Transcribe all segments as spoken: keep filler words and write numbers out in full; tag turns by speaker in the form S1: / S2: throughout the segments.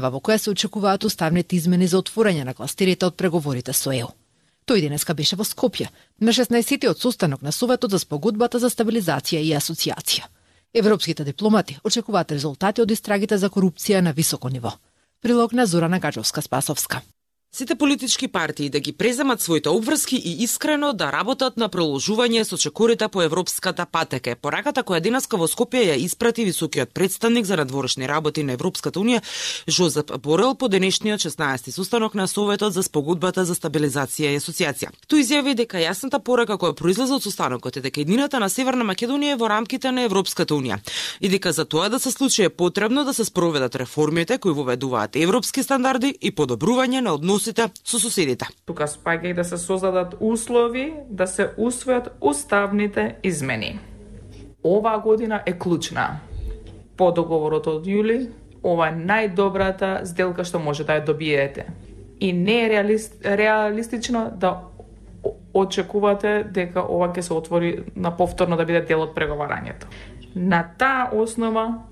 S1: во која се очекуваат уставните измени за отворање на кластерите од преговорите со Е У. Тој денеска беше во Скопје, на шеснаесеттиот состанок на Советот за спогодбата за стабилизација и асоциација. Европските дипломати очекуваат резултати од истрагите за корупција на високо ниво. Прилог на Зорана Гаджовска-Спасовска.
S2: Сите политички партии да ги преземат своите обврски и искрено да работат на продолжување со чекорите по европската патека. Пораката која денеска во Скопје ја испрати високиот представник за надворешни работи на Европската унија Жозеп Борел по денешниот шеснаести состанок на Советот за спогодбата за стабилизација и асоциација. Тој изјави дека јасната порака која произлезе од состанокот е дека еднината на Северна Македонија е во рамките на Европската унија и дека за тоа да се случи е потребно да се спроведат реформите кои воведуваат европски стандарди и подобрување на односите со соседите.
S3: Тука спаѓа и да се создадат услови да се усвојат уставните измени. Оваа година е клучна. По договорот од јули, ова е најдобрата сделка што може да ја добиете. И не е реалист, реалистично да очекувате дека ова ќе се отвори на повторно да биде дел од преговарањето. На таа основа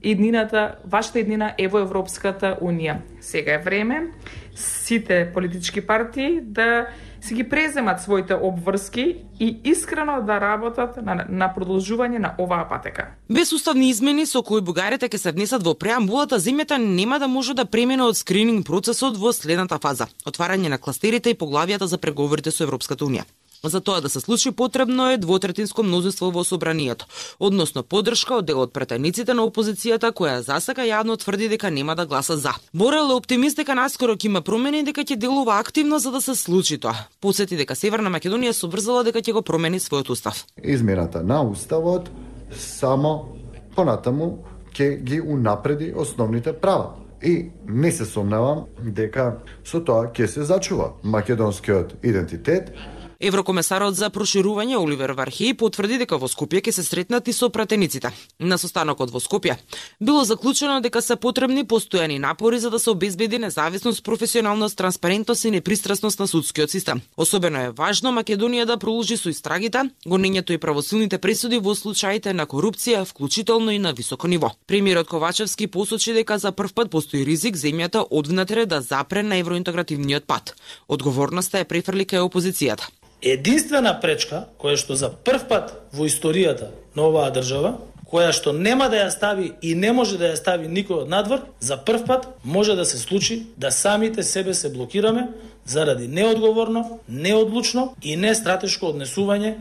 S3: иднината, вашата иднина е во Европската унија. Сега е време сите политички партии да си ги преземат своите обврски и искрено да работат на, на продолжување на оваа патека.
S2: Без уставни измени со кои бугарите ќе се внесат во преамбулата, земјата нема да може да премине од скрининг процесот во следната фаза – отварање на кластерите и поглавијата за преговорите со Европската унија. За тоа да се случи потребно е двотретинско мнозинство во собранието, односно поддршка од дел од претениците на опозицијата која засека јавно тврди дека нема да гласа за. Борел е оптимист дека наскоро ќе има промени и дека ќе делува активно за да се случи тоа. Посети дека Северна Македонија се обврзала дека ќе го промени својот устав.
S4: Измената на уставот само понатаму ќе ги унапреди основните права. И не се сомневам дека со тоа ќе се зачува македонскиот идентитет.
S2: Еврокомесарот за проширување Оливер Вархеј потврди дека во Скопје ќе се сретнат и со пратениците. На состанокот во Скопје било заклучено дека се потребни постојани напори за да се обезбеди независност, професионалност, транспарентност и непристрасност на судскиот систем. Особено е важно Македонија да продолжи со истрагите, гонењето и правосилните пресуди во случаите на корупција, вклучително и на високо ниво. Премиерот Ковачевски посочи дека за прв пат постои ризик земјата одвнатре да запре на евроинтегративниот пат. Одговорноста е префрли кај опозицијата.
S5: Единствена пречка која што за прв пат во историјата на оваа држава, која што нема да ја стави и не може да ја стави никој од надвор, за прв пат може да се случи да самите себе се блокираме заради неодговорно, неодлучно и нестратешко однесување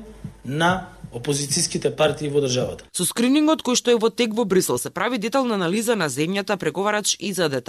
S5: на опозицијските партии во државата.
S2: Со скринингот кој што е во тек во Брисел се прави детална анализа на земјата, преговарач и за детали